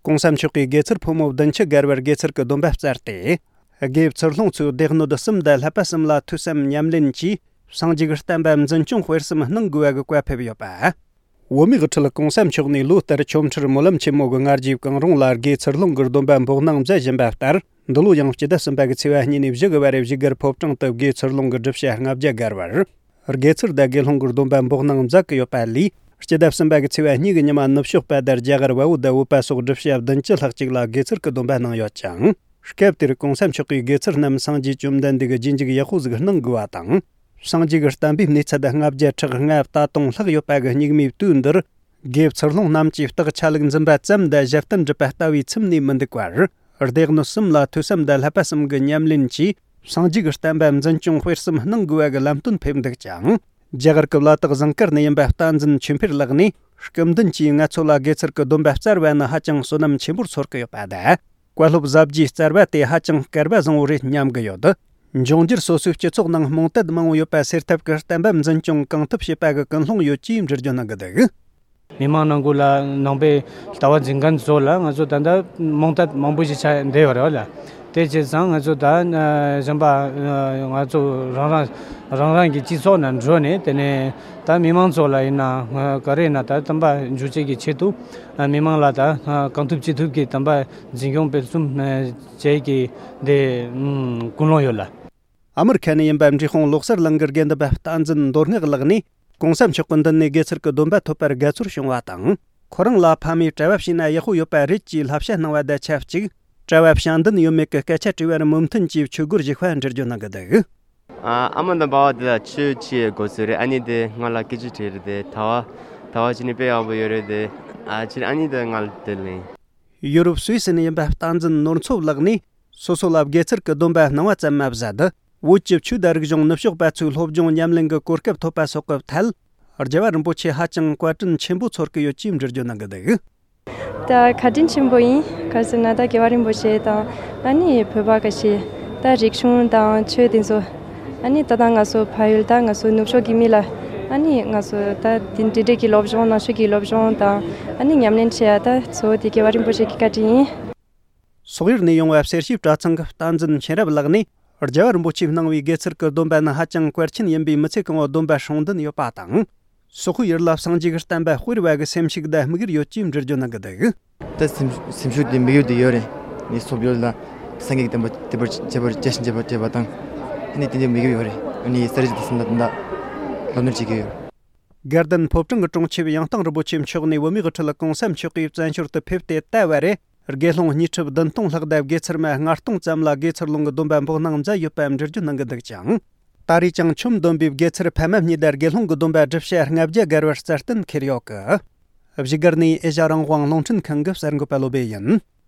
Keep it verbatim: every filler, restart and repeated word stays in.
གོང་ས་མཆོག་གིས་དགེ་ཚུལ་ཕོ་མོ་བདུན་ཅུ་བརྒལ་བར་དགེ་ཚུལ་གྱི་སྡོམ་པ་བསྩལ་ཏེ། དགེ་ཚུལ་སློང་ཚོས་སྡེ་སྣོད་གསུམ་དང་བསླབ་པ་གསུམ་ལ་ཐོས་བསམ་ཉམས་ལེན་གྱིས། སངས་རྒྱས་ཀྱི་བསྟན་པ་འཛིན་སྐྱོང་སྤེལ་གསུམ་གནང་དགོས་པ་གི་བཀའ་ཕེབས་ཡོད་པ། བོད་མིའི་དབུ་ཁྲིད་གོང་ས་མཆོག་ནས་ལོ་ལྟར་ཆོ་འཕྲུལ་སྨོན་ལམ་ཆེན་མོ་གི་སྔ་རྗེས་གང་རུང་ལ་དགེ་ཚུལ་སློང་གི་སྡོམ་པ་འབོགས་གནང་མཛད་བཞིན་པ་ལྟར། འདི་ལོ་ཡང་སྤྱི་ཟླ་གསུམ་པ་གི་ཚེས་པ་གཉིས་ནས་བཞི་གི་བར་བཞུགས་སྒར་ཕོ་བྲང་དུ་དགེ་ཚུལ་སློང་གི་སྒྲུབ་བྱེད་ལྔ་བརྒྱ་བརྒལ་བར། དགེ་ཚུལ་དང་དགེ་སློང་གི་སྡོམ་པ་འབོགས་གནང་མཛད་ཀྱི་ཡོད་པ་ལས། སྤྱི་ཟླ་གསུམ་པ་གི་ཚེས་པ་གཉིས་ཀྱི་ཉི་མ་ནུབ་ཕྱོགས་པ་དང་རྒྱ་གར་བལ་པོ་དང་བོད་པ་སོགས་སྒྲུབ་བྱེད་བདུན་ཅུ་ལྷག་ཅིག་ལ་དགེ་ཚུལ་གྱི་སྡོམ་པ་གནང་ཡོད་ཅིང་། སྐབས་དེར་གོང་ས་མཆོག་གིས་དགེ་ཚུལ་རྣམས་སངས་རྒྱས་བཅོམ་ལྡན་འདས་ཀྱི་རྗེས་འཇུག་ཡག་པོ་ཟིག་གནང་དགོས་པ་དང་། སངས་རྒྱས་ཀྱི་བསྟན་པའི་གནས་ཚད་ལྔ་བརྒྱ་ཕྲག་ལྔ་བརྒྱ་སྟོང་ལྷག་ཡོད་པ་གི་སྙིགས་མའི་དུས་འདིར། དགེ་ཚུལ་སློང་རྣམས་ཀྱིས་རྟགས་ཆ་ལུགས་འཛིན་པ་ཙམ་དང་ཞབས་བརྟན་སྒྲུབ་པ་ལྟ་བུའི་ཚིམ་ནས་མི་འདུག་པར། སྡེ་སྣོད་གསུམ་ལ་ཐོས་བསམ་དང་བསླབ་པ་གསུམ་གྱི་ཉམས་ལེན་གྱིས། སངས་རྒྱས་ཀྱི་བསྟན་པ་འཛིན་སྐྱོང་སྤེལ་གསུམ་གནང་དགོས་པ་གི་ལམ་སྟོན་ཕེབས་འདུག་ཅིང་། རྒྱ་གར་གྱི་བླ་དྭགས་ཟངས་དཀར་ནས་ཡིན་པ་བསྟན་འཛིན་ཆོས་འཕེལ་ལགས་ནས། སྐུ་མདུན་གྱིས་ང་ཚོ་ལ་དགེ་ཚུལ་གྱི་སྡོམ་པ་བསྩལ་བ་ནི་ཧ་ཅང་བསོད་ནམས་ཆེན་པོར་ཚོར་གྱི་ཡོད་པ་དང་། བཀའ་སློབ་ཟབ་རྒྱས་བསྩལ་བ་དེ་ཧ་ཅང་སྐལ་བ་བཟང་བོ་རེད་སྙམ་གྱི་ཡོད། འབྱུང་འགྱུར་སོ་སོའི་སྤྱི་ཚོགས་ནང་རྨོངས་དད་མང་བོ་ཡོད་པ་སེལ་ཐབས་ཀྱི་བསྟན་པ་འཛིན་སྐྱོང་གང་ཐུབ་བྱེད་པ་གི་ཀུན་སློང་ཡོད་ཅེས་འགྲེལ་བརྗོད་གནང་གི་འདུག། མི་མང་ནང་ཁུལ་ལ་ནང་པའི་ལྟ་བ་འཛིན་མཁན་ཚོ་ལ་ང་ཚོ་ད་ལྟ་རྨོངས་དད་མང་པོ་ཞིག་ཆགས་བསྡད་ཡོད་རེད་བ་ལ། དེ་བྱས་ཙང་ང་ཚོ་ད་གཞན་པ་ང་ཚོ་རང་རང་རང་རང་གི་སྤྱི་ཚོགས་ནང་འགྲོ་ནས། དེ་ནས་ད་མི་མང་ཚོ་ལ་ཡིན་ན་ག་རེ་ཡིན་ན་ད་བསྟན་པ་འཛིན་སྐྱོང་གི་ཆེད་དུ་མི་མང་ལ་ད་གང་ཐུབ་ཅི་ཐུབ་ཀྱིས་བསྟན་པ་འཛིན་སྐྱོང་སྤེལ་གསུམ་བྱེད་ཀྱི་དེ་ཀུན་སློང་ཡོད་ལ། ཨ་མི་རི་ཁ་ནས་ཡིན་པ་འབྲས་སྤུངས་ལོ་གསར་གླིང་གི་དགེ་འདུན་པ་བསྟན་འཛིན་མདོ་སྔགས་ལགས་ནས། གོང་ས་མཆོག་གི་མདུན་ནས་དགེ་ཚུལ་གྱི་སྡོམ་པ་ཐོབ་པར་དགའ་ཚོར་བྱུང་བ་དང་། ཁོ་རང་ལ་ཕ་མས་གྲྭ་བ་བྱས་ན་ཡག་པོ་ཡོད་པ་རེད་ཅེས་བསླབ་བྱ་གནང་བ་དང་ཆབས་ཅིག། གྲྭ་བ་བྱ་འདུན་ཡོད་མེད་ཀྱི་སྐད་ཆ་དྲིས་པར་མོས་མཐུན་གྱིས་ཆོས་སྒོར་ཞུགས་པ་འགྲེལ་བརྗོད་གནང་གི་འདུག། ཨ་ཨ་མ་དང་པ་ཕ་དེ་ལ་ཆོས་ཅི་དགོས་ཚུལ་རེད། ཨ་ནི་དེ་ང་ལ་སྐད་ཆ་དྲིས་རེད་དེ། ད་བ་ད་བ་ཅི་ནི་དཔེ་ཡག་པོ་ཡོད་རེད་དེ། ཨ་ཕྱིར་ཨ་ནི་དེ་ང་ལ་དེ་ལན། ཡུ་རོབ་སུད་སི་ནས་ཡིན་པ་བསྟན་འཛིན་ནོར་མཚོ་ལགས་ནས། སོ་སོ་ལ་དགེ་ཚུལ་གྱི་སྡོམ་པ་གནང་བ་ཙམ་མ་ཟད། བོད་ཀྱི་ཆོས་དང་རིག་གཞུང་ནུབ་ཕྱོགས་པ་ཚོའི་སློབ་སྦྱོང་ཉམས་ལེན་གྱི་གོ་སྐབས་ཐོབ་པ་སོགས་ཀྱི་ཐད། རྒྱལ་བ་རིན་པོ་ཆེ་ཧ་ཅང་བཀའ་དྲིན་ཆེན་པོ་ཚོར་གྱི་ཡོད་ཅེས་འགྲེལ་བརྗོད་གནང་གི་འདུག། ད་བཀའ་དྲིན་ཆེན་པོ་ཡིན། ག་ཟེར་ན་ད་རྒྱལ་བ་རིན་པོ་ཆེ་དང་ཨ་ནི་བོད་པ་ག་ཤེད་ད་རིག་གཞུང་དང་ཆོས་དེ་ཚོ། ཨ་ནི་ད་ལྟ་ང་ཚོ་ཕ་ཡུལ་ད་ང་ཚོ་ནུབ་ཕྱོགས་ཀྱི་མི་ལ་ཨ་ནི་ང་ཚོ་ད་དེ་འདྲ་འདྲ་གི་སློབ་སྦྱོང་ནང་ཆོས་ཀྱི་སློབ་སྦྱོང་དང་ཨ་ནི་ཉམས་ལེན་བྱེད་ཡ་ད་གཙོ་བོ་དེ་རྒྱལ་བ་རིན་པོ་ཆེ་གི་བཀའ་དྲིན་ཡིན། སོག་ཡུལ་ནས་ཡོང་བའི་གསེར་ཞབས་གྲྭ་ཚང་གི་བསྟན་འཛིན་མཁྱེན་རབ་ལགས་ནས། རྒྱལ་བ་རིན་པོ་ཆེས་གནང་བའི་དགེ་ཚུལ་གྱི་སྡོམ་པ་ནི་ཧ་ཅང་གལ་ཆེན་ཡིན་པས། མི་ཚེ་གང་བོ་སྡོམ་པ་སྲུང་འདུན་ཡོད་པ་དང་། སོག་པོའི་ཡུལ་ལ་སངས་རྒྱས་ཀྱི་བསྟན་པ་སྤེལ་བ་གི་སེམས་ཤུགས་དང་དམིགས་ཡུལ་ཡོད་ཅེས་འགྲེལ་བརྗོད་གནང་གི་འདུག། ད་སེམས་སེམས་ཤུགས་དེ་དམིགས་ཡུལ་དེ་ཡོད་རེད། ངས་སོག་པོའི་ཡུལ་ལ་སངས་རྒྱས་ཀྱི་བསྟན་པ་དེ་བར་བྱེད་པར་བྱེད་བཞིན་བྱེད་པར་བྱེད་པ་དང་། ཨ་ནི་དེ་འདྲའི་དམིགས་ཡུལ་ཡོད་རེད། ཨ་ནི་གསེར་ཞབས་གྲྭ་ཚང་ལ་ད་ལྟ་ལམ་སྟོན་བྱེད་ཀྱི་ཡོད། དགའ་ལྡན་ཕོ་བྲང་གི་དྲུང་ཆེབ་ཡང་སྟེང་རིན་པོ་ཆེ་མཆོག་ནས་བོད་མིའི་དབུ་ཁྲིད་གོང་ས་མཆོག་གིས་བཙན་བྱོལ་དུ་ཕེབས་ཏེ་ད་བར་རེ། དགེ་སློང་དངོས་གྲུབ་བདུན་སྟོང་ལྷག་དང་དགེ་ཚུལ་མ་ལྔ་སྟོང་ཙམ་ལ་དགེ་ཚུལ་སློང་གི་སྡོམ་པ་འབོགས་གནང་མཛད་ཡོད་པའམ་འགྲེལ་བརྗོད་གནང་གི་འདུག་ཅིང་། ད་རེས་ཀྱང་ཆོས་སྡོམ་པའི་དགེ་ཚུལ་ཕ་མ་གཉིས་དང་དགེ་སློང་གི་སྡོམ་པ་སྒྲུབ་བྱེད་ལྔ་བརྒྱ་བརྒལ་བར་རྩ་གཏན་འཁེལ་ཡོད་གི། བཞུགས་སྒར་ནས་ཨེ་ཤ་རང་དབང་རླུང་འཕྲིན་ཁང་གི་གསར་འགོད་པ་བློ་བྷེ་ཡིན།